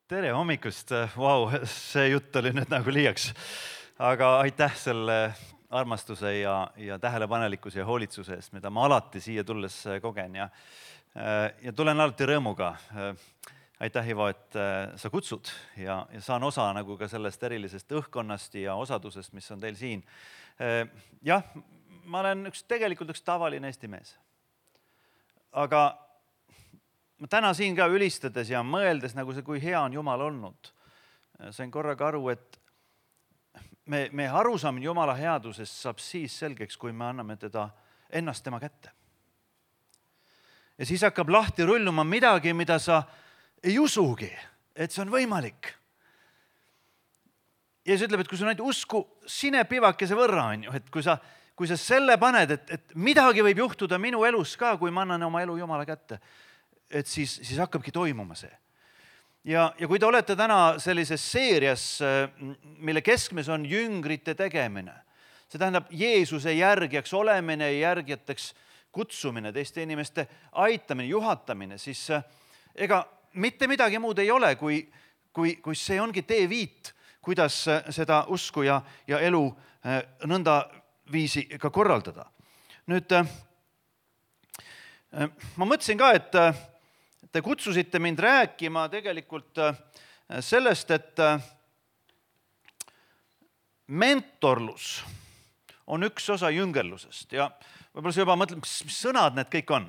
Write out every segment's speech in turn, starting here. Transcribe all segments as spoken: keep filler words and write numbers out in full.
Tere hommikust, vau, see jutt oli nüüd nagu liiaks, aga aitäh selle armastuse ja, ja tähelepanelikkuse ja hoolitsuse eest, mida ma alati siia tulles kogen ja, ja tulen alati rõõmuga. Aitäh, Ivo, et sa kutsud ja, ja saan osa nagu ka sellest erilisest õhkkonnast ja osadusest, mis on teil siin. Jah, ma olen üks, tegelikult üks tavaline Eesti mees, aga ma täna siin ka ülistades ja mõeldes, nagu see, kui hea on Jumal olnud, sain korraga aru, et me, me arusaamine Jumala headusest saab siis selgeks, kui me anname teda ennast tema kätte. Ja siis hakkab lahti rulluma midagi, mida sa ei usugi, et see on võimalik. Ja siis ütleb, et kui sul ainult usku sine pivakese võrra on ju, et kui sa, kui sa selle paned, et, et midagi võib juhtuda minu elus ka, kui ma annan oma elu Jumala kätte, et siis, siis hakkabki toimuma see. Ja, ja kui te olete täna sellises seerias, mille keskmes on jüngrite tegemine, see tähendab Jeesuse järgijaks olemine ja järgijateks kutsumine, teiste inimeste aitamine, juhatamine, siis ega mitte midagi muud ei ole, kui, kui, kui see ongi teeviit, kuidas seda usku ja, ja elu nõnda viisi ka korraldada. Nüüd, ma mõtlesin ka, et te kutsusite mind rääkima tegelikult sellest, et mentorlus on üks osa jüngerlusest ja võib-olla sa juba mõtled, mis sõnad need kõik on.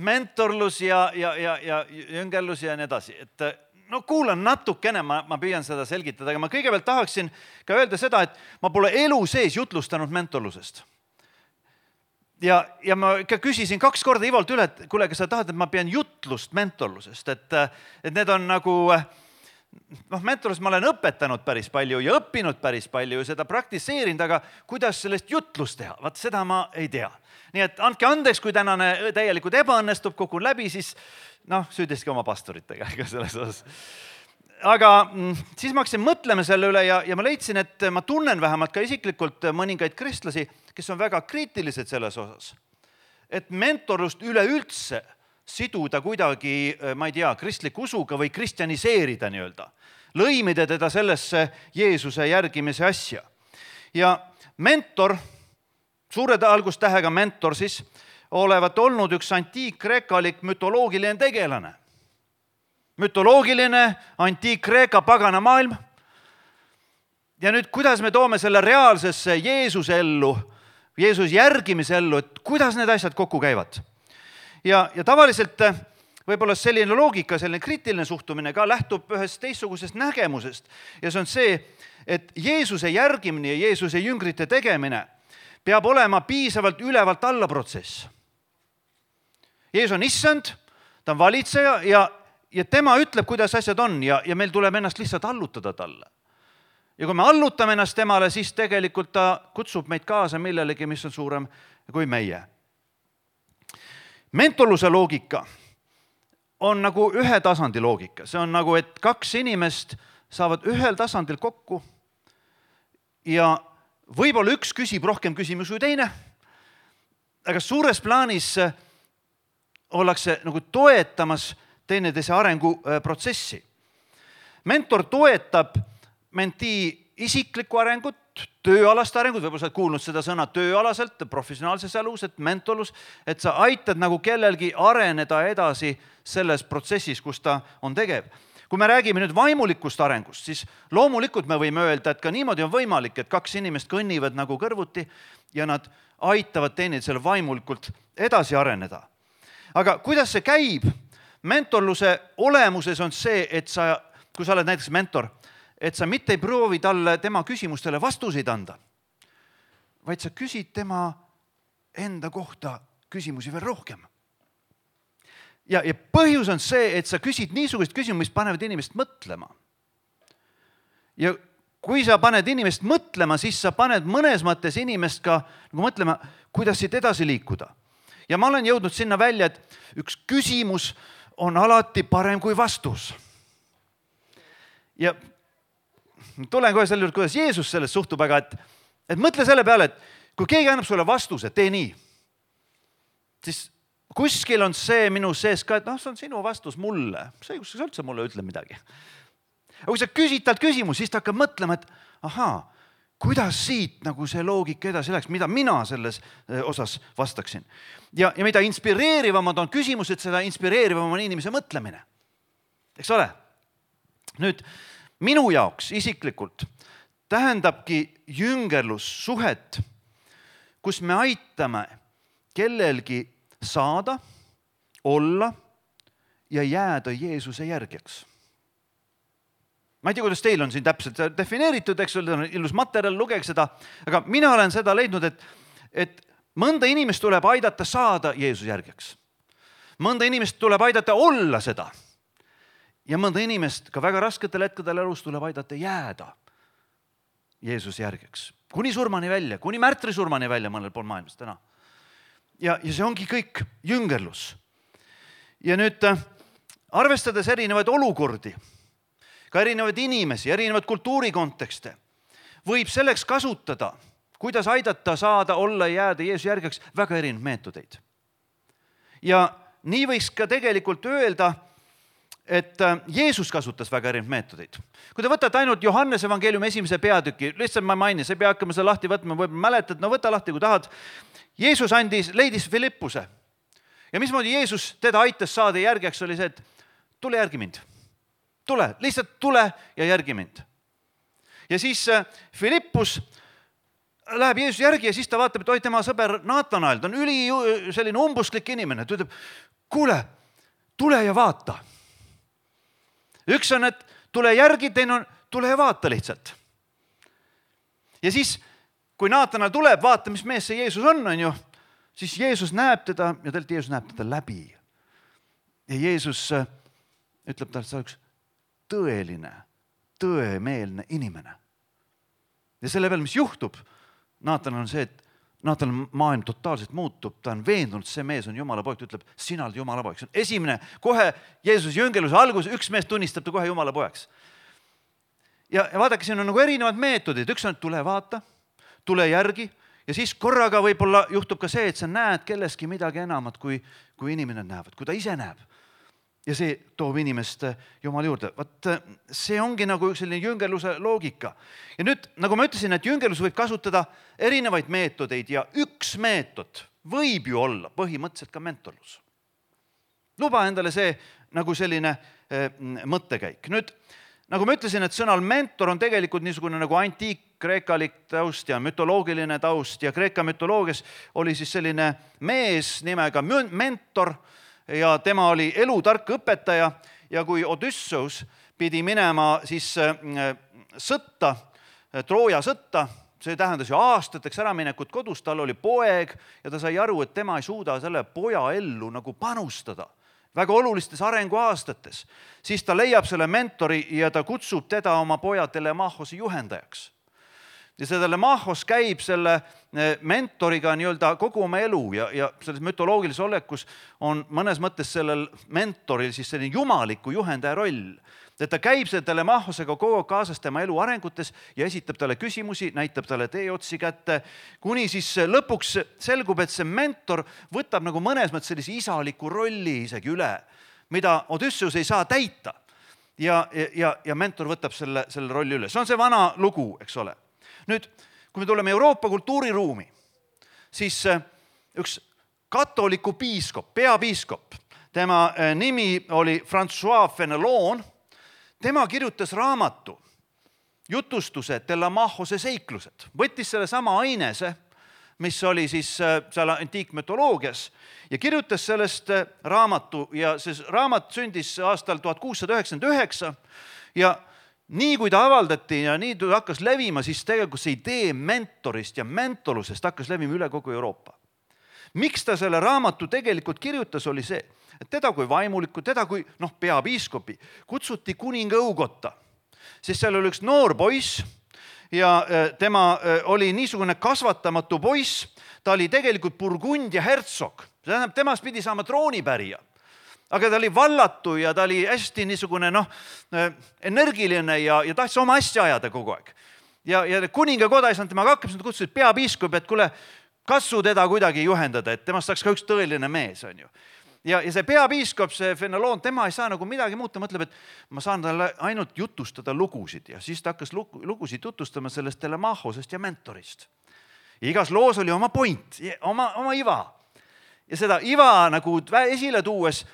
Mentorlus ja, ja, ja, ja jüngerlus ja nii edasi. Et, no kuulan natukene, ma, ma püüan seda selgitada, aga ma kõigepealt tahaksin ka öelda seda, et ma pole elu sees jutlustanud mentorlusest. Ja, ja ma ikka küsisin kaks korda Ivolt üle, et kuule, kas sa tahad, et ma pean jutlust mentorlusest, et, et need on nagu, noh, mentorlust ma olen õpetanud päris palju ja õppinud päris palju ja seda praktiseerinud, aga kuidas sellest jutlust teha, vaat seda ma ei tea. Nii et andke andeks, kui tänane täielikult ebaõnnestub, kukun läbi, siis noh, süüdiski oma pastoritega ega selles osas. Aga siis ma hakkasin mõtlema selle üle ja, ja ma leidsin, et ma tunnen vähemalt ka isiklikult mõningaid kristlasi, kes on väga kriitilised selles osas. Et mentorlust üleüldse siduda kuidagi, ma ei tea, kristliku usuga või kristjaniseerida nii-öelda. Lõimida teda sellesse Jeesuse järgimise asja. Ja mentor, suure algustähega mentor siis, olevat olnud üks antiik-kreekalik mütoloogiline tegelane. Mütoloogiline, antiik-kreeka pagana maailm. Ja nüüd, kuidas me toome selle reaalsesse Jeesuse ellu, Jeesus järgimise ellu, et kuidas need asjad kokku käivad. Ja, ja tavaliselt võib-olla selline loogika, selline kriitiline suhtumine ka lähtub ühest teistsugusest nägemusest. Ja see on see, et Jeesuse järgimine ja Jeesuse jüngrite tegemine peab olema piisavalt ülevalt alla protsess. Jeesus on issand, ta on valitseja ja Ja tema ütleb, kuidas asjad on ja, ja meil tuleb ennast lihtsalt allutada talle. Ja kui me allutame ennast temale, siis tegelikult ta kutsub meid kaasa millelegi, mis on suurem kui meie. Mentorluse loogika on nagu ühe tasandi loogika. See on nagu, et kaks inimest saavad ühel tasandil kokku ja võib-olla üks küsib rohkem küsimusi kui teine, aga suures plaanis ollakse nagu toetamas teineteise arenguprotsessi. Mentor toetab menti isiklikku arengut, tööalast arengut, võib-olla sa oled kuulnud seda sõna tööalaselt, professionaalses elus, et mentorlus, et sa aitad nagu kellelgi areneda edasi selles protsessis, kus ta on tegev. Kui me räägime nüüd vaimulikust arengust, siis loomulikult me võime öelda, et ka niimoodi on võimalik, et kaks inimest kõnnivad nagu kõrvuti ja nad aitavad teineteisele vaimulikult edasi areneda. Aga kuidas see käib? Mentorluse olemuses on see, et sa, kui sa oled näiteks mentor, et sa mitte ei proovi talle tema küsimustele vastuseid anda, vaid sa küsid tema enda kohta küsimusi veel rohkem. Ja, ja põhjus on see, et sa küsid niisugust küsimus, mis panevad inimest mõtlema. Ja kui sa paned inimest mõtlema, siis sa paned mõnes mõttes inimest ka nagu mõtlema, kuidas siit edasi liikuda. Ja ma olen jõudnud sinna välja, et üks küsimus on alati parem kui vastus. Ja tulen kohe selle juurde, kuidas Jeesus sellest suhtub, aga et, et mõtle selle peale, et kui keegi annab sulle vastuse, tee nii, siis kuskil on see minu sees ka, et noh, see on sinu vastus mulle. See kus sa üldse mulle ütle midagi. Aga kui sa küsid talt küsimus, siis ta hakkab mõtlema, et ahaa, kuidas siit nagu see loogika edasi läks, mida mina selles osas vastaksin. Ja, ja mida inspireerivamad on küsimused, seda inspireerivam on inimese mõtlemine. Eks ole? Nüüd, minu jaoks isiklikult tähendabki jüngerlus suhet, kus me aitame kellelgi saada, olla ja jääda Jeesuse järgjaks. Ma ei tea, kuidas teil on siin täpselt defineeritud, eks ole, ilus materjal, lugege seda, aga mina olen seda leidnud, et, et mõnda inimest tuleb aidata saada Jeesuse järgjaks. Mõnda inimest tuleb aidata olla seda. Ja mõnda inimest ka väga rasketel hetkedel elus tuleb aidata jääda Jeesuse järgjaks. Kuni surmani välja, kuni märtri surmani välja mõnel pool maailmas täna. Ja, ja see ongi kõik jüngerlus. Ja nüüd arvestades erinevaid olukordi, ka erinevaid inimesi, erinevaid kultuurikontekste, võib selleks kasutada, kuidas aidata saada, olla ja jääda Jeesuse järgjaks väga erinevaid meetodeid. Ja nii võiks ka tegelikult öelda, et Jeesus kasutas väga erinevaid meetodeid. Kui te võtate ainult Johannese evangeeliumi esimese peatüki, lihtsalt ma mainin, see pea hakkama seda lahti võtma, võib mäletad, no võta lahti, kui tahad. Jeesus andis, leidis Filippuse. Ja mismoodi Jeesus teda aitas saada järgjaks oli see, et tule järgi mind. Tule, lihtsalt tule ja järgi mind. Ja siis Filippus läheb Jeesus järgi ja siis ta vaatab, et oi, tema sõber Naatanael, ta on üli selline umbusklik inimene. Ta ütleb, kuule, tule ja vaata. Üks on, et tule järgi, teine on, tule ja vaata lihtsalt. Ja siis, kui Naatanael tuleb, vaata, mis mees see Jeesus on, on ju, siis Jeesus näeb teda ja talt Jeesus näeb teda läbi. Ja Jeesus ütleb talle, et sa oleks tõeline, tõemeelne inimene. Ja selle peal, mis juhtub, Naatanael on see, et Naatanael maailm totaalselt muutub, ta on veendunud, see mees on Jumala poeg, ta ütleb, sina oled Jumala poeg. See on esimene, kohe Jeesus jüngerluse algus, üks mees tunnistab ta kohe Jumala poeks. Ja, ja vaadake, siin on nagu erinevad meetodid, üks on, et tule vaata, tule järgi ja siis korraga võib-olla juhtub ka see, et sa näed kelleski midagi enamat, kui, kui inimene näevad, kui ta ise näeb. Ja see toob inimest Jumala juurde. Vaat see ongi nagu selline jüngerluse loogika. Ja nüüd, nagu ma ütlesin, et jüngerlus võib kasutada erinevaid meetodeid ja üks meetod võib ju olla põhimõtteliselt ka mentorlus. Luba endale see nagu selline eh, mõttekäik. Nüüd, nagu ma ütlesin, et sõnal mentor on tegelikult niisugune nagu antiik-kreekalik taust ja mütoloogiline taust ja Kreeka mütoloogias oli siis selline mees nimega mentor, ja tema oli elutark õpetaja ja kui Odysseus pidi minema siis sõtta, Trooja sõtta, see tähendas ju aastateks äraminekut kodus, tal oli poeg ja ta sai aru, et tema ei suuda selle poja ellu nagu panustada väga olulistes arenguaastates, siis ta leiab selle mentori ja ta kutsub teda oma poja Telemachose juhendajaks. Ja see Telemachos käib selle mentoriga nii-öelda kogu oma elu ja, ja selles mütoloogilises olekus on mõnes mõttes sellel mentoril siis selline jumaliku juhendaja roll. Et ta käib selle Telemachosega kogu kaasas tema elu arengutes ja esitab talle küsimusi, näitab talle teeotsi kätte, kuni siis lõpuks selgub, et see mentor võtab nagu mõnes mõttes sellise isaliku rolli isegi üle, mida Odysseus ei saa täita. Ja, ja, ja mentor võtab selle, selle rolli üle. See on see vana lugu, eks ole. Nüüd, kui me tuleme Euroopa kultuuriruumi, siis üks katoliku piiskop, peapiiskop, tema nimi oli François Fenelon, tema kirjutas raamatu jutustuse Telemachose seiklused. Võttis selle sama ainese, mis oli siis seal antiikmütoloogias ja kirjutas sellest raamatu ja see raamat sündis aastal tuhat kuussada üheksakümmend üheksa ja nii kui ta avaldati ja nii ta hakkas levima, siis tegelikult see idee mentorist ja mentolusest hakkas levima üle kogu Euroopa. Miks ta selle raamatu tegelikult kirjutas, oli see, et teda kui vaimulikku, teda kui noh, peapiiskopi kutsuti kuninga õugotta, sest seal oli üks noor poiss ja tema oli niisugune kasvatamatu poiss, ta oli tegelikult Burgundia hertsog, temast pidi saama troonipärija. Aga ta oli vallatu ja ta oli hästi niisugune noh, energiline ja, ja tahtis oma asja ajada kogu aeg. Ja, ja kuninga koda ei saanud temaga hakkab, kutsusid peapiiskop, et kuule, katsu teda kuidagi juhendada, et temast saaks ka üks tõeline mees, on ju. Ja, ja see peapiiskop, see Fenelon, tema ei saa nagu midagi muuta, mõtleb, et ma saan talle ainult jutustada lugusid ja siis ta hakkas lugusid jutustama sellest Telemachosest ja mentorist. Ja igas loos oli oma point, oma, oma iva. Ja seda iva nagu esile tuues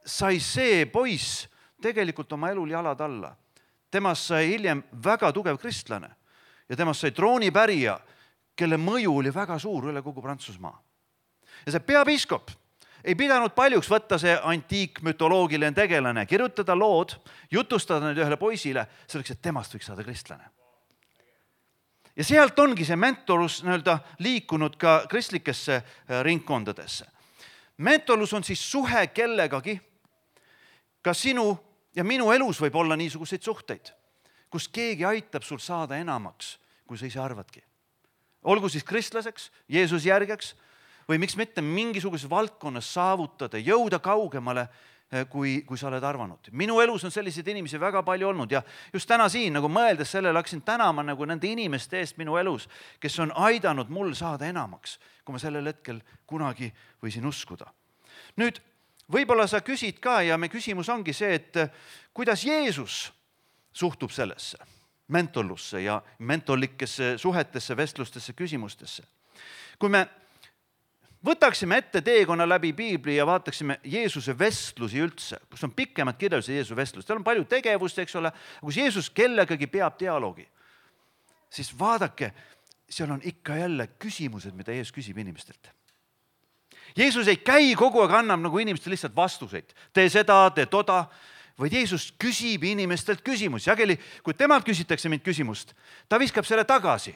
sai see poiss tegelikult oma elul jalad alla. Temast sai hiljem väga tugev kristlane ja temast sai troonipärija, kelle mõju oli väga suur üle kogu Prantsusmaa. Ja see peapiiskop ei pidanud paljuks võtta see antiikmütoloogiline tegelane, kirjutada lood, jutustada need ühele poisile, selleks, et temast võiks saada kristlane. Ja sealt ongi see mentorlus nii-öelda liikunud ka kristlikesse ringkondadesse. Mentorlus on siis suhe kellegagi, ka sinu ja minu elus võib olla niisuguseid suhteid, kus keegi aitab sul saada enamaks, kui sa ise arvadki. Olgu siis kristlaseks, Jeesus järgeks, või miks mitte mingisuguses valdkonnas saavutada, jõuda kaugemale, kui, kui sa oled arvanud. Minu elus on selliseid inimesi väga palju olnud ja just täna siin nagu mõeldes sellele hakkasin tänama nagu nende inimeste eest minu elus, kes on aidanud mul saada enamaks, kui ma sellel hetkel kunagi võisin uskuda. Nüüd, võib-olla sa küsid ka ja me küsimus ongi see, et kuidas Jeesus suhtub sellesse mentorlusse ja mentorlikesse suhetesse, vestlustesse, küsimustesse. Kui me võtaksime ette teekonna läbi Piibli ja vaataksime Jeesuse vestlusi üldse, kus on pikemad kirjeldused Jeesuse vestlust. Tal on palju tegevust, eks ole, kus Jeesus kellegagi peab dialoogi. Siis vaadake, seal on ikka jälle küsimused, mida Jeesus küsib inimestelt. Jeesus ei käi kogu aeg, annab nagu inimestele lihtsalt vastuseid. Tee seda, tee toda, vaid Jeesus küsib inimestelt küsimusi. Sageli, kui temalt küsitakse mind küsimust, ta viskab selle tagasi.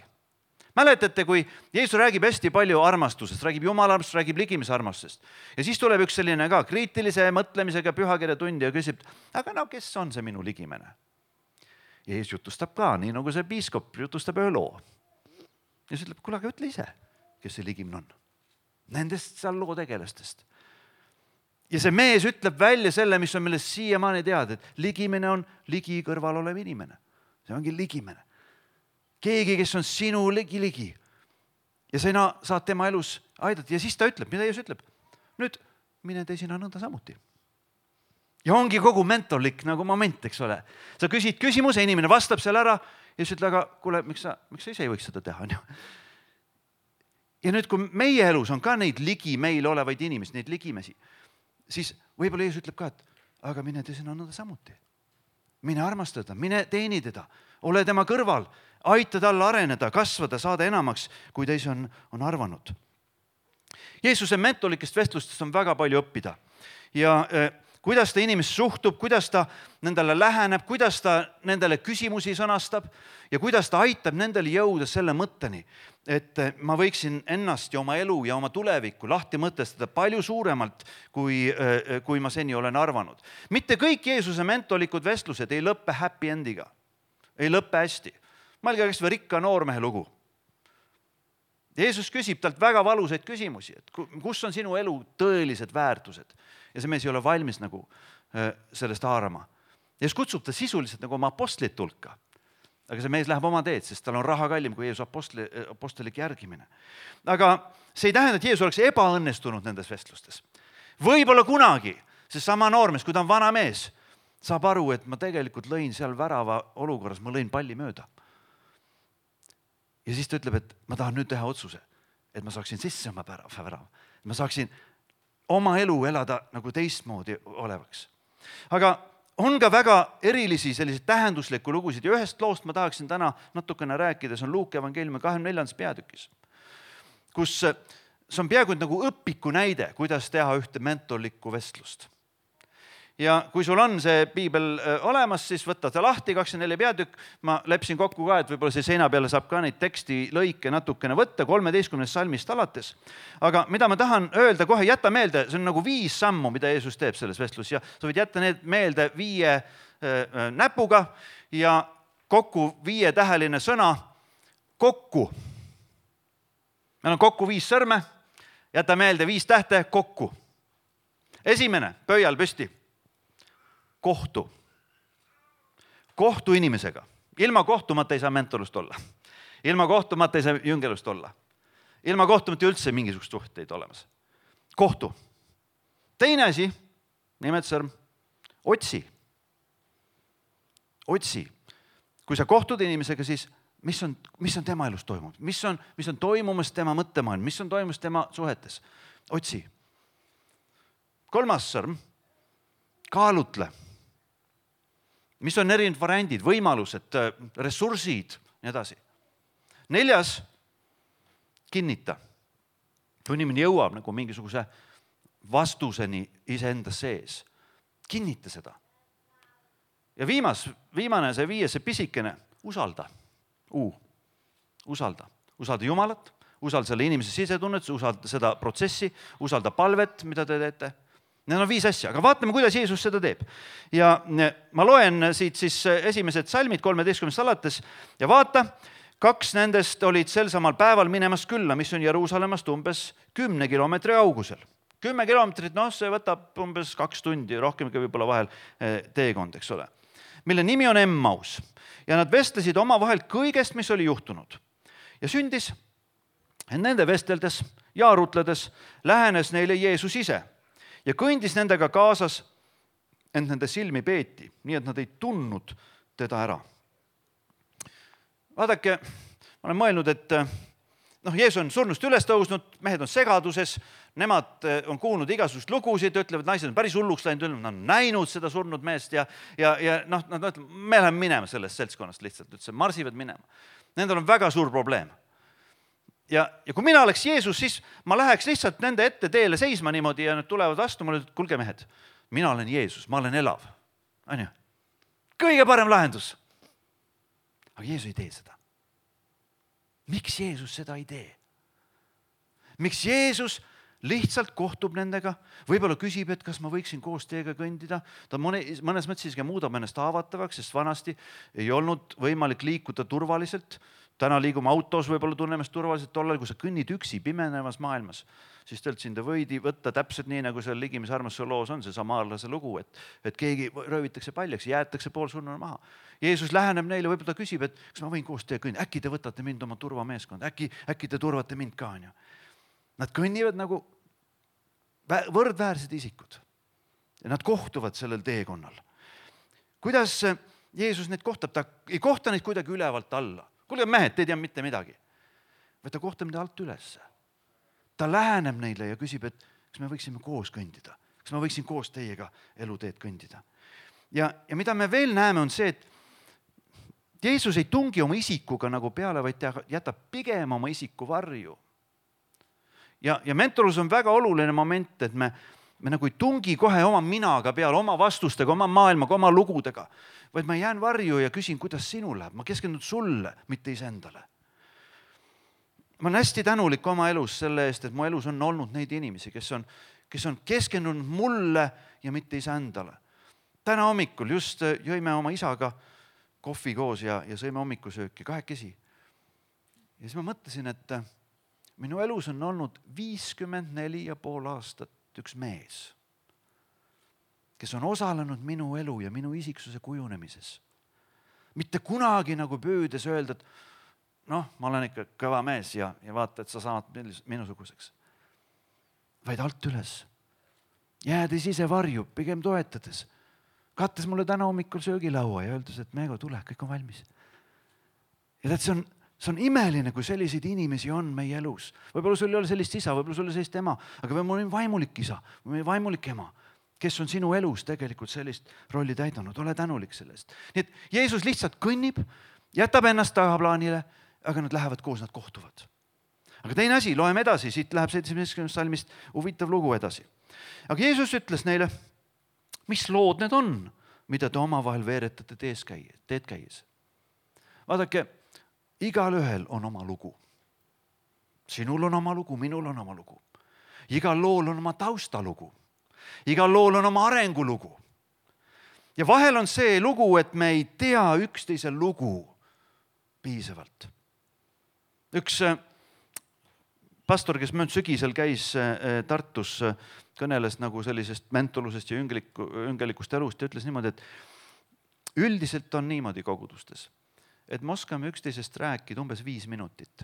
Mäletate, kui Jeesus räägib hästi palju armastusest, räägib Jumala armastusest, räägib ligimise armastusest. Ja siis tuleb üks selline ka kriitilise mõtlemisega pühakirja tundi ja küsib, aga no kes on see minu ligimene? Ja Jeesus jutustab ka, nii nagu see piiskop jutustab ühe loo. Ja siis ütleb, kuule, aga ütle ise, kes see ligimene on. Nendest seal loo tegelastest. Ja see mees ütleb välja selle, mis on millest siiamaani teada, et ligimene on ligi kõrval olev inimene. See ongi ligimene. Keegi, kes on sinu ligi-ligi ja sina saad tema elus aidata. Ja siis ta ütleb, mida Jeesus ütleb? Nüüd mine tee sina nõnda samuti. Ja ongi kogu mentorlik nagu moment, eks ole. Sa küsid küsimuse, inimene vastab seal ära ja siis ütle, aga kuule, miks sa, miks sa ise ei võiks seda teha? Ja nüüd, kui meie elus on ka neid ligi meil olevaid inimesi, neid ligimesi, siis võib-olla Jeesus ütleb ka, et aga mine tee sina nõnda samuti. Mine armastada, mine teeni teda, ole tema kõrval, aita talle areneda, kasvada, saada enamaks, kui teis on, on arvanud. Jeesuse mentorlikest vestlustest on väga palju õppida. Ja eh, kuidas ta inimest suhtub, kuidas ta nendele läheneb, kuidas ta nendele küsimusi sõnastab ja kuidas ta aitab nendele jõuda selle mõtteni, et ma võiksin ennast ja oma elu ja oma tulevikku lahti mõtestada palju suuremalt, kui, kui ma seni olen arvanud. Mitte kõik Jeesuse mentorlikud vestlused ei lõppe happy endiga, ei lõppe hästi. Mõelge kas või rikka noormehe lugu. Jeesus küsib talt väga valusaid küsimusi, et kus on sinu elu tõelised väärtused ja see mees ei ole valmis nagu sellest haarama. Jeesus kutsub ta sisuliselt nagu oma apostlit hulka, aga see mees läheb oma teed, sest tal on raha kallim kui Jeesus apostli, apostolik järgimine. Aga see ei tähenda, et Jeesus oleks ebaõnnestunud nendes vestlustes. Võib-olla kunagi see sama noormees, kui ta on vana mees, saab aru, et ma tegelikult lõin seal värava olukorras, ma lõin palli mööda. Ja siis ta ütleb, et ma tahan nüüd teha otsuse, et ma saaksin sisse oma värava. Ma saaksin oma elu elada nagu teistmoodi olevaks. Aga on ka väga erilisi selliseid tähenduslikku lugusid ja ühest loost ma tahaksin täna natukene rääkida, see on Luuke evangeeliumi kahekümne neljandas peatükis, kus see on peaaegu nagu õpiku näide, kuidas teha ühte mentorlikku vestlust. Ja kui sul on see piibel olemas, siis võtta ta lahti, kakskümmend neli peatükk. Ma lepsin kokku ka, et võib-olla see seina peale saab ka neid teksti lõike natukene võtta, kolmeteistkümnest salmist alates. Aga mida ma tahan öelda kohe, jätta meelde, see on nagu viis sammu, mida Jeesus teeb selles vestlus. Ja sa võid jätta need meelde viie äh, näpuga ja kokku viie täheline sõna kokku. Meil on kokku viis sõrme, jäta meelde viis tähte kokku. Esimene, pöial püsti. Kohtu. Kohtu inimesega. Ilma kohtumata ei saa mentorlust olla. Ilma kohtumata ei saa jüngelust olla. ilma kohtumata üldse mingisugust suhteid olemas. Kohtu. Teine asi, nimetusõrm, otsi. Otsi. Kui sa kohtud inimesega, siis mis on, mis on tema elus toimunud? Mis on, mis on toimumas tema mõttemaailm? Mis on toimumas tema suhetes? Otsi. Kolmas sõrm, kaalutle. Mis on erinevad variandid, võimalused, ressursid, nii edasi. Neljas, kinnita. Kui inimene jõuab nagu mingisuguse vastuseni iseenda sees, kinnita seda. Ja viimas, viimane, see viies, see pisikene, usalda. Uu, usalda. Usalda Jumalat, usalda selle inimese sisetunnet, usalda seda protsessi, usalda palvet, mida te teete. Need on viis asja, aga vaatame, kuidas Jeesus seda teeb. Ja ma loen siit siis esimesed salmid kolmeteistkümnest alates ja vaata, kaks nendest olid sel samal päeval minemas külla, mis on Jeruusalemmast umbes kümne kilomeetri kaugusel. Kümme kilomeetrit, noh, see võtab umbes kaks tundi, rohkemgi võib-olla vahel teekond, eks ole. Mille nimi on Emmaus ja nad vestlesid oma vahel kõigest, mis oli juhtunud. Ja sündis, et nende vesteldes ja arutledes lähenes neile Jeesus ise ja kõndis nendega kaasas, ent nende silmi peeti, nii et nad ei tundnud teda ära. Vaadake, ma olen mõelnud, et noh, Jeesus on surnust üles tõusnud, mehed on segaduses, nemad on kuulnud igasugust lugusid, ütlevad, naised on päris hulluks läinud, nad on näinud seda surnud meest ja, ja, ja noh, nad ütlevad, me läheme minema sellest seltskonnast lihtsalt, ütles, marsivad minema. Nendel on väga suur probleem. Ja, ja kui mina oleks Jeesus, siis ma läheks lihtsalt nende ette teele seisma niimoodi ja nad tulevad vastu, mulle ütlevad, kulge mehed, mina olen Jeesus, ma olen elav. On ju? Kõige parem lahendus. Aga Jeesus ei tee seda. Miks Jeesus seda ei tee? Miks Jeesus lihtsalt kohtub nendega, võib-olla küsib, et kas ma võiksin koos teiega kõndida. Ta mõnes mõttes isegi muudab ennast haavatavaks, sest vanasti ei olnud võimalik liikuda turvaliselt. Täna liigume autos, võib-olla tunnemast turvaliselt tollal, kui sa kõnnid üksi pimenevas maailmas. Siis telt sind võidi võtta täpselt nii, nagu seal Ligimise armastuse loos on see samaarlase lugu, et, et keegi röövitakse paljaks, jäetakse pool surnuna maha. Jeesus läheneb neile, võib-olla ta küsib, et kas ma võin koos teiega kõndida, äkki te võtate mind oma turvameeskond, äkki, äkki te turvate mind ka. Nad kõnnivad nagu võrdväärsed isikud ja nad kohtuvad sellel teekonnal. Kuidas Jeesus neid kohtab? Ta ei kohta neid kuidagi ülevalt alla. Kuulge mehed, te ei tea mitte midagi. Või ta kohtab neid alt üles. Ta läheneb neile ja küsib, et kas me võiksime koos kõndida. Kas ma võiksin koos teiega eluteed kõndida. Ja, ja mida me veel näeme on see, et Jeesus ei tungi oma isikuga nagu peale, vaid ta jätab pigem oma isiku varju. Ja, ja mentorlus on väga oluline moment, et me, me nagu ei tungi kohe oma minaga peale, oma vastustega, oma maailmaga, oma lugudega, vaid ma jään varju ja küsin, kuidas sinul läheb. Ma keskendun sulle, mitte iseendale. Ma olen hästi tänulik oma elus selle eest, et mu elus on olnud neid inimesi, kes on, kes on keskendunud mulle ja mitte iseendale. Täna hommikul just jõime oma isaga kohvi koos ja, ja sõime hommikusööki kahekesi. Ja siis ma mõtlesin, et minu elus on olnud viiskümmend neli ja pool aastat üks mees, kes on osalenud minu elu ja minu isiksuse kujunemises. Mitte kunagi nagu püüdes öelda, et noh, ma olen ikka kõva mees ja, ja vaata, et sa saad minusuguseks. Vaid alt üles. Jäädes ise varju, pigem toetades. Kattes mulle täna hommikul söögilaua ja öeldes, et Meego, tule, kõik on valmis. Ja tead, see on, see on imeline, kui selliseid inimesi on meie elus. Võib-olla sul ei ole sellist isa, võib-olla sul ei ole sellist ema, aga võib-olla on vaimulik isa, või vaimulik ema, kes on sinu elus tegelikult sellist rolli täidanud. Ole tänulik sellest. Nii et Jeesus lihtsalt kõnnib, jätab ennast tagaplaanile, aga nad lähevad koos, nad kohtuvad. Aga teine asi, loeme edasi, siit läheb seitsmeteistkümnendast salmist huvitav lugu edasi. Aga Jeesus ütles neile, mis lood need on, mida te omavahel veeretate teed käies. Vaadake, igal ühel on oma lugu. Sinul on oma lugu, minul on oma lugu. Igal lool on oma taustalugu. Igal lool on oma arengulugu. Ja vahel on see lugu, et me ei tea üksteise lugu piisavalt. Üks pastor, kes möönd sügisel käis Tartus, kõneles nagu sellisest mentolusest ja üngelikust elust ja ütles niimoodi, et üldiselt on niimoodi kogudustes, et me oskame üksteisest rääkida umbes viis minutit.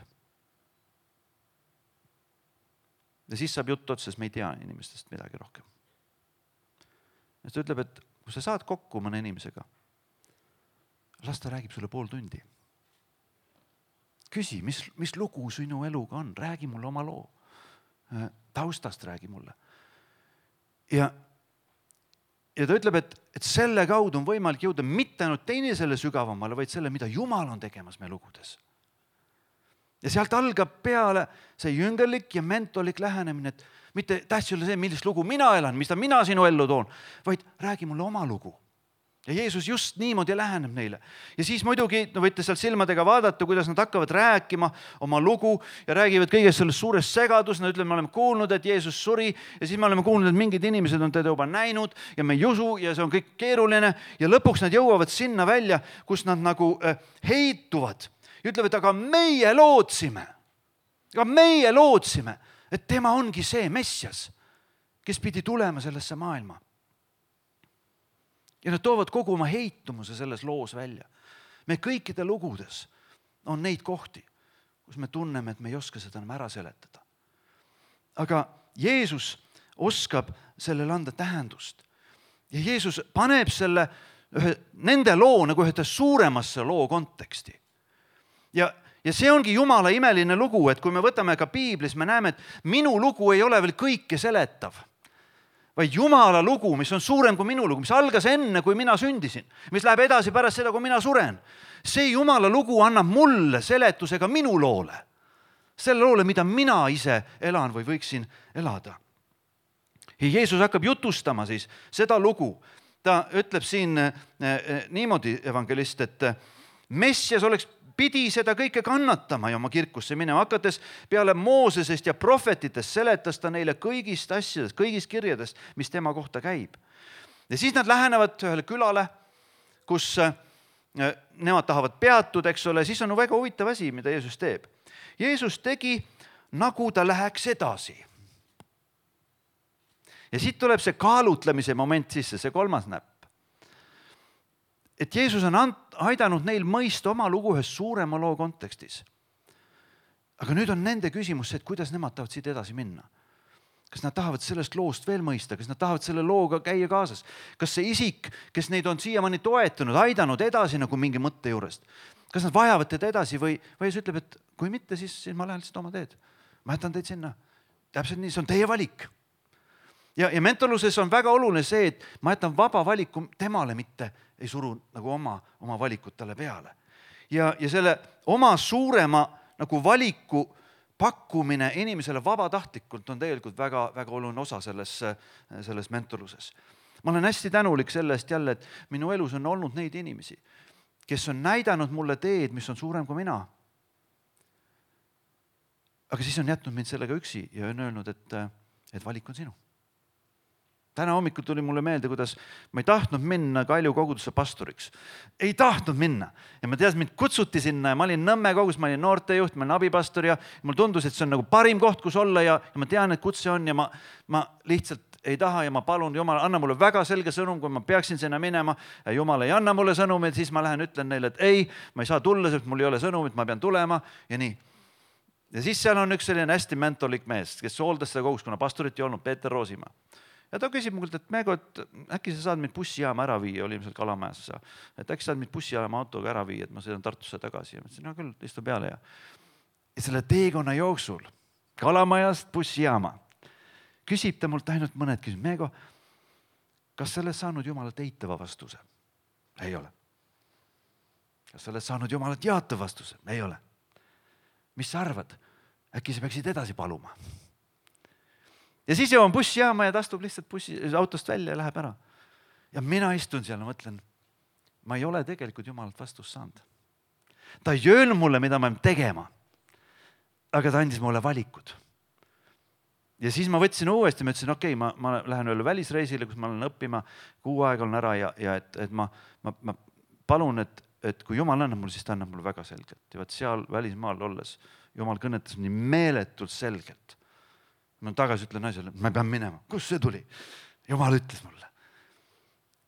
Ja siis saab jutt otsa, sest me ei tea inimestest midagi rohkem. Ja ta ütleb, et kui sa saad kokku mõne inimesega, las ta räägib sulle pool tundi. Küsi, mis, mis lugu sinu eluga on, räägi mulle oma loo. Taustast räägi mulle. Ja, ja ta ütleb, et, et selle kaudu on võimalik jõuda mitte ainult teinisele sügavamale, vaid selle, mida Jumal on tegemas me lugudes. Ja sealt algab peale see jüngerlik ja mentolik lähenemine, et mitte tähtis ole see, millist lugu mina elan, mis ta mina sinu ellu toon, vaid räägi mulle oma lugu. Ja Jeesus just niimoodi läheneb neile. Ja siis muidugi no võite sealt silmadega vaadata, kuidas nad hakkavad rääkima oma lugu ja räägivad kõigest sellest suurest segadus. Nad ütlevad, me oleme kuulnud, et Jeesus suri ja siis me oleme kuulnud, et mingid inimesed on teda juba näinud ja me ei usu ja see on kõik keeruline. Ja lõpuks nad jõuavad sinna välja, kus nad nagu heituvad. Ja ütlevad, aga meie lootsime, aga meie lootsime, et tema ongi see Messias, kes pidi tulema sellesse maailma. Ja nad toovad kogu oma heitumuse selles loos välja. Me kõikide lugudes on neid kohti, kus me tunneme, et me ei oska seda enam ära seletada. Aga Jeesus oskab sellele anda tähendust. Ja Jeesus paneb selle ühe, nende loo nagu ühte suuremasse loo konteksti. Ja, ja see ongi Jumala imeline lugu, et kui me võtame ka Piiblis, me näeme, et minu lugu ei ole veel kõike seletav, vaid Jumala lugu, mis on suurem kui minu lugu, mis algas enne, kui mina sündisin, mis läheb edasi pärast seda, kui mina suren. See Jumala lugu annab mulle seletusega minu loole, selle loole, mida mina ise elan või võiksin elada. Ja Jeesus hakkab jutustama siis seda lugu. Ta ütleb siin niimoodi evangelist, et Messias oleks pidi seda kõike kannatama ja oma kirkusse minema hakates peale Moosesest ja prohvetitest seletas ta neile kõigist asjadest, kõigist kirjadest, mis tema kohta käib. Ja siis nad lähenevad ühele külale, kus nemad tahavad peatuda, eks ole, siis on väga huvitav asi, mida Jeesus teeb. Jeesus tegi, nagu ta läheks edasi. Ja siit tuleb see kaalutlemise moment sisse, see kolmas näpp. Et Jeesus on aidanud neil mõista oma lugu ühes suurema loo kontekstis. Aga nüüd on nende küsimus see, et kuidas nemad tahavad siit edasi minna. Kas nad tahavad sellest loost veel mõista, kas nad tahavad selle looga käia kaasas. Kas see isik, kes neid on siiamaani toetanud, aidanud edasi nagu mingi mõtte juurest. Kas nad vajavad teda edasi või, või Jeesus ütleb, et kui mitte, siis, siis ma lähen lihtsalt oma teed. Ma jätan teid sinna. Täpselt nii, see on teie valik. Ja, ja mentorluses on väga oluline see, et ma jätan vaba valiku temale, mitte ei suru nagu oma, oma valikut talle peale. Ja, ja selle oma suurema nagu valiku pakkumine inimesele vabatahtlikult on tegelikult väga, väga oluline osa selles, selles mentorluses. Ma olen hästi tänulik sellest jälle, et minu elus on olnud neid inimesi, kes on näidanud mulle teed, mis on suurem kui mina. Aga siis on jätnud mind sellega üksi ja on öelnud, et, et valik on sinu. Täna hommikul tuli mulle meelde, kuidas ma ei tahtnud minna Kalju kogudusse pastoriks. Ei tahtnud minna. Ja ma teadsin, mind kutsuti sinna ja ma olin Nõmme kogus, ma olin noortejuht, ma olin abipastor ja mul tundus, et see on nagu parim koht, kus olla ja, ja ma tean, et kutse on ja ma, ma lihtsalt ei taha ja ma palun, Jumal, anna mulle väga selge sõnum, kui ma peaksin sinna minema ja Jumal ei anna mulle sõnumit, siis ma lähen ütlen neile, et ei, ma ei saa tulla, sest mul ei ole sõnumit, ma pean tulema ja nii. Ja siis seal on üks selline hästi mentorlik mees, kes hooldas seda kogus, kuna pastorit ei olnud, Peeter Roosimaa. Ja ta küsib mult, et Meego, et äkki sa saad mind bussijaama ära viia, oli ilmselt Kalamajas, et äkki saad mind bussijaama autoga ära viia, et ma sõidan Tartusse tagasi. Ja ma ütlesin, no küll, istu peale. Ja, ja selle teekonna jooksul Kalamajast bussijaama küsib ta mult ainult mõned küsib. Meego, kas sa oled saanud Jumalalt eitava vastuse? Ei ole. Kas sa oled saanud Jumalalt jaatava vastuse? Ei ole. Mis sa arvad? Äkki sa peaksid edasi paluma? Ja siis jõuan bussijaama ja ta astub lihtsalt bussi, autost välja ja läheb ära. Ja mina istun seal ja mõtlen, ma ei ole tegelikult Jumalalt vastust saanud. Ta ei öelnud mulle, mida ma pean tegema, aga ta andis mulle valikud. Ja siis ma võtsin uuesti, ma ütlesin, okei, okay, ma, ma lähen üle välisreisile, kus ma olen õppima, kuu aega olen ära ja, ja et, et ma, ma, ma palun, et, et kui Jumal annab mulle, siis ta annab mulle väga selgelt. Ja võt seal välismaal olles, Jumal kõnetas nii meeletult selgelt. Ma tagasi ütlen naisele, ma pean minema. Kus see tuli? Jumal ütles mulle.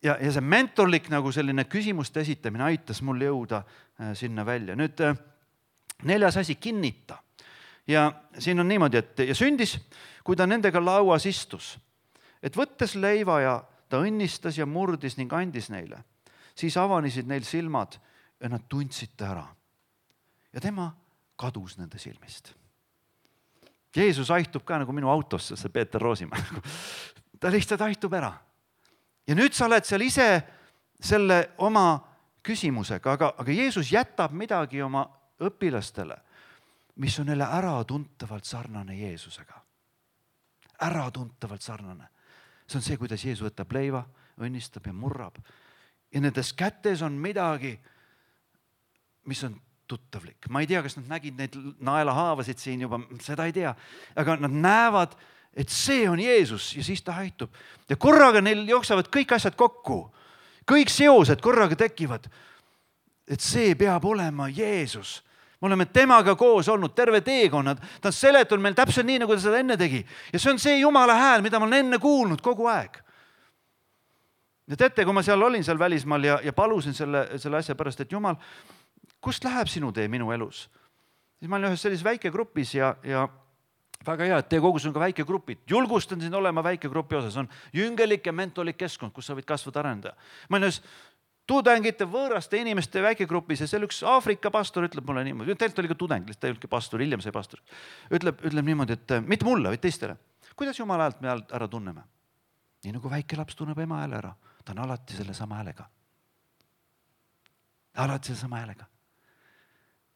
Ja, ja see mentorlik nagu selline küsimuste esitamine aitas mul jõuda sinna välja. Nüüd neljas asi, kinnita. Ja siin on niimoodi, et ja sündis, kui ta nendega lauas istus, et võttes leiva ja ta õnnistas ja murdis ning andis neile. Siis avanisid neil silmad ja nad tundsid ta ära. Ja tema kadus nende silmist. Jeesus aihtub ka nagu minu autosse, see Peeter Roosimäe. Ta lihtsalt aihtub ära. Ja nüüd sa oled seal ise selle oma küsimusega, aga, aga Jeesus jätab midagi oma õpilastele, mis on neile äratuntavalt sarnane Jeesusega. Äratuntavalt sarnane. See on see, kuidas Jeesus võtab leiva, õnnistab ja murrab. Ja nendes kätes on midagi, mis on tuttavlik. Ma ei tea, kas nad nägid neid naelahaavasid siin juba, seda ei tea. Aga nad näevad, et see on Jeesus ja siis ta haitub. Ja korraga neil jooksavad kõik asjad kokku. Kõik seosed korraga tekivad. Et see peab olema Jeesus. Me oleme temaga koos olnud terve teekonnad. Ta on seletanud meil täpselt nii, nagu ta seda enne tegi. Ja see on see Jumala hääl, mida ma olen enne kuulnud kogu aeg. Ja teate, kui ma seal olin seal välismaal ja, ja palusin selle, selle asja pärast, et Jumal, kust läheb sinu tee minu elus? Siis ma olin ühes sellises väikegrupis ja, ja väga hea, et teie kogus on ka väikegrupid. Julgustan siin olema väikegrupi osas. On jüngelik ja mentolik keskkond, kus sa võid kasvada arendada. Ma olin ühes tudengite, võõraste inimeste väikegrupis ja seal üks Aafrika pastor ütleb mulle niimoodi, teilt oli ka tudeng, ta ei olnudki pastor, hiljem sai pastor. Ütleb, ütleb niimoodi, et mitte mulle, vaid teistele. Kuidas Jumala häält me ära tunneme? Nii nagu väike laps tunneb ema hääle ära. Ta on alati selle sama häälega. Alati selle sama häälega.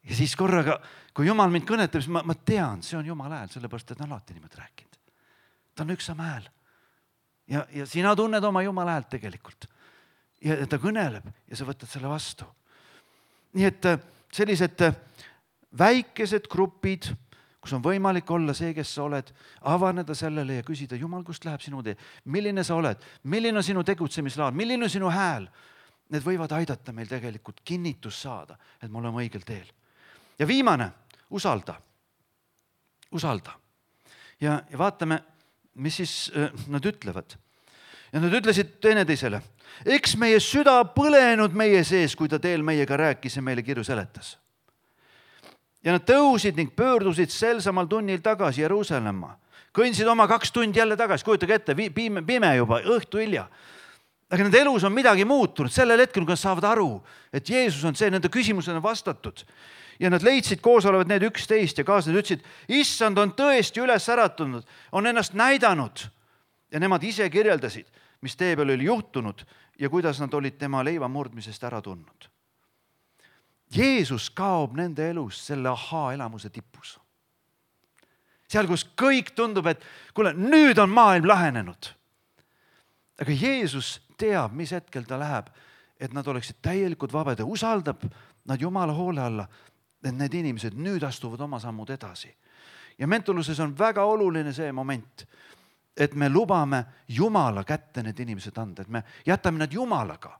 Ja siis korraga, kui Jumal mind kõnetab, siis ma, ma tean, see on Jumala hääl, sellepärast, et ta on alati niimoodi rääkinud. Ta on üks sama hääl. Ja, ja sina tunned oma Jumala häält tegelikult. Ja ta kõneleb ja sa võtad selle vastu. Nii et sellised väikesed grupid, kus on võimalik olla see, kes sa oled, avaneda sellele ja küsida, Jumal, kust läheb sinu tee? Milline sa oled? Milline on sinu tegutsemislaad? Milline on sinu hääl? Need võivad aidata meil tegelikult kinnitus saada, et me oleme õigel teel. Ja viimane, usalda. Usalda. Ja, ja vaatame, mis siis nad ütlevad. Ja nad ütlesid teineteisele, eks meie süda põlenud meie sees, kui ta teel meiega rääkis ja meile kirju seletas. Ja nad tõusid ning pöördusid sel samal tunnil tagasi Jeruusalemma. Kõnsid oma kaks tundi jälle tagasi, kujutage ette, pime, pime juba, õhtu hilja. Aga nende elus on midagi muutunud sellel hetkel, kui nad saavad aru, et Jeesus on see, nende küsimused on vastatud. Ja nad leidsid koos olevat need üksteist ja kaaslased ütlesid, issand on tõesti üles äratunud, on ennast näidanud. Ja nemad ise kirjeldasid, mis tee peal oli juhtunud ja kuidas nad olid tema leiva murdmisest ära tundnud. Jeesus kaob nende elus selle ahaa elamuse tipus. Seal, kus kõik tundub, et kuule, nüüd on maailm lahenenud. Aga Jeesus teab, mis hetkel ta läheb, et nad oleksid täielikult vabad ja usaldab nad Jumala hoole alla, et need inimesed nüüd astuvad oma sammud edasi. Ja mentoluses on väga oluline see moment, et me lubame Jumala kätte need inimesed anda, et me jätame nad Jumalaga.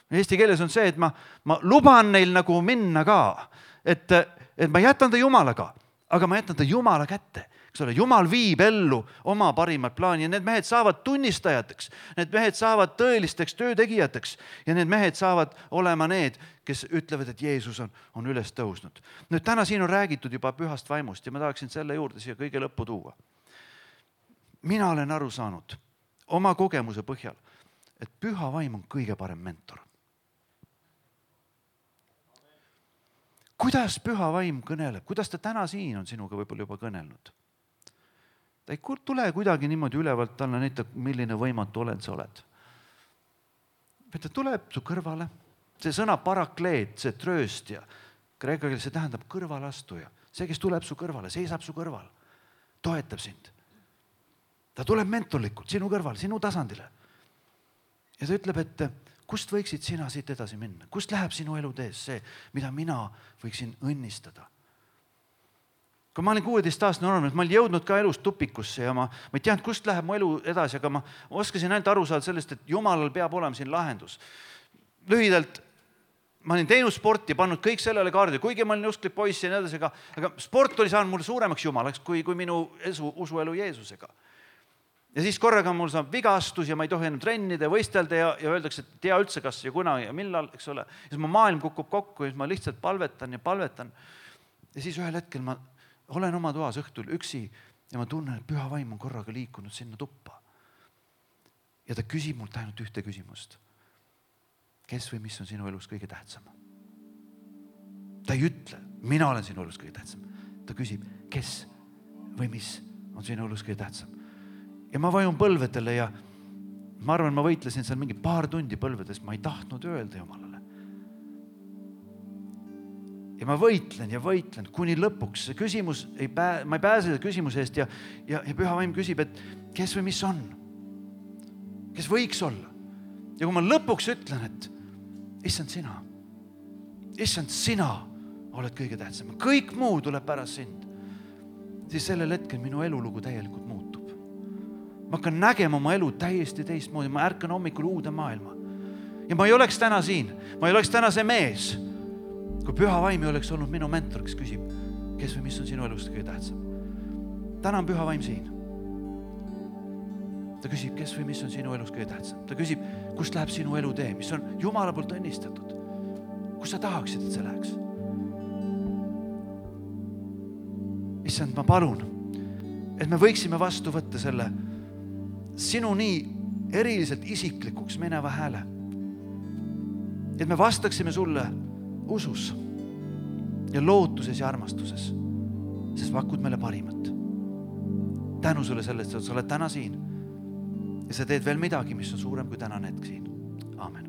Eesti keeles on see, et ma, ma luban neil nagu minna ka, et, et ma jätan ta Jumalaga, aga ma jätan ta Jumala kätte. Eks ole, Jumal viib ellu oma parimat plaani ja need mehed saavad tunnistajateks, need mehed saavad tõelisteks töötegijateks ja need mehed saavad olema need, kes ütlevad, et Jeesus on, on üles tõusnud. Nüüd täna siin on räägitud juba pühast vaimust ja ma tahaksin selle juurde siia kõige lõppu tuua. Mina olen aru saanud oma kogemuse põhjal, et püha vaim on kõige parem mentor. Kuidas püha vaim kõneleb? Kuidas ta täna siin on sinuga võib-olla juba kõnelnud? Ta ei tule kuidagi niimoodi ülevalt talle näitab, milline võimatu oled sa oled. Ta tuleb su kõrvale. See sõna parakleet, see trööstja, kreeka keeles see tähendab kõrvalastuja. See, kes tuleb su kõrvale, seisab su kõrval, toetab sind. Ta tuleb mentorlikult sinu kõrval, sinu tasandile. Ja ta ütleb, et kust võiksid sina siit edasi minna? Kust läheb sinu elu tees see, mida mina võiksin õnnistada? Kui ma olin kuueteist aastane noormees, ma olin jõudnud ka elus tupikusse ja ma, ma ei teadnud, kust läheb mu elu edasi, aga ma oskasin ainult aru saada sellest, et Jumalal peab olema siin lahendus. Lühidalt, ma olin teinud sporti, pannud kõik sellele kaardile, kuigi ma olin usklik poiss ja nii edasi, aga, aga sport oli saanud mulle suuremaks Jumalaks kui, kui minu esu, usuelu Jeesusega. Ja siis korraga mul saab vigastus ja ma ei tohi enam trennida ja võistelda ja, ja öeldakse, et tea üldse kas ja kuna ja millal, eks ole. Ja siis ma maailm kukub kokku ja siis ma lihtsalt palvetan ja palvetan. Ja siis ühel hetkel ma olen oma toas õhtul üksi ja ma tunnen, et püha vaim on korraga liikunud sinna tuppa. Ja ta küsib mult ainult ühte küsimust. Kes või mis on sinu elus kõige tähtsam? Ta ei ütle, mina olen sinu elus kõige tähtsam. Ta küsib, kes või mis on sinu elus kõige tähtsam. Ja ma vajun põlvedele ja ma arvan, ma võitlesin seal mingi paar tundi põlvedes, ma ei tahtnud öelda Jumalale. Ja ma võitlen ja võitlen, kuni lõpuks see küsimus, ei pää, ma ei pääse selle küsimuse eest ja, ja, ja püha vaim küsib, et kes või mis on? Kes võiks olla? Ja kui ma lõpuks ütlen, et issand sina, issand sina oled kõige tähtsam, kõik muu tuleb pärast sind, siis sellel hetkel minu elulugu täielikult muutub. Ma hakkan nägema oma elu täiesti teistmoodi, ma ärkan hommikul uude maailma. Ja ma ei oleks täna siin, ma ei oleks täna see mees, kui püha vaim ei oleks olnud minu mentor, kes küsib, kes või mis on sinu elust kõige tähtsam. Täna on püha vaim siin. Ta küsib, kes või mis on sinu elus kõige tähtsam. Ta küsib, kust läheb sinu elu tee, mis on Jumala poolt õnnistatud. Kus sa tahaksid, et see läheks? Issand, ma palun, et me võiksime vastu võtta selle sinu nii eriliselt isiklikuks mineva hääle. Et me vastaksime sulle usus ja lootuses ja armastuses, sest pakud meile parimat. Tänu sulle sellest, et sa oled täna siin ja sa teed veel midagi, mis on suurem kui tänane hetk siin. Aamen.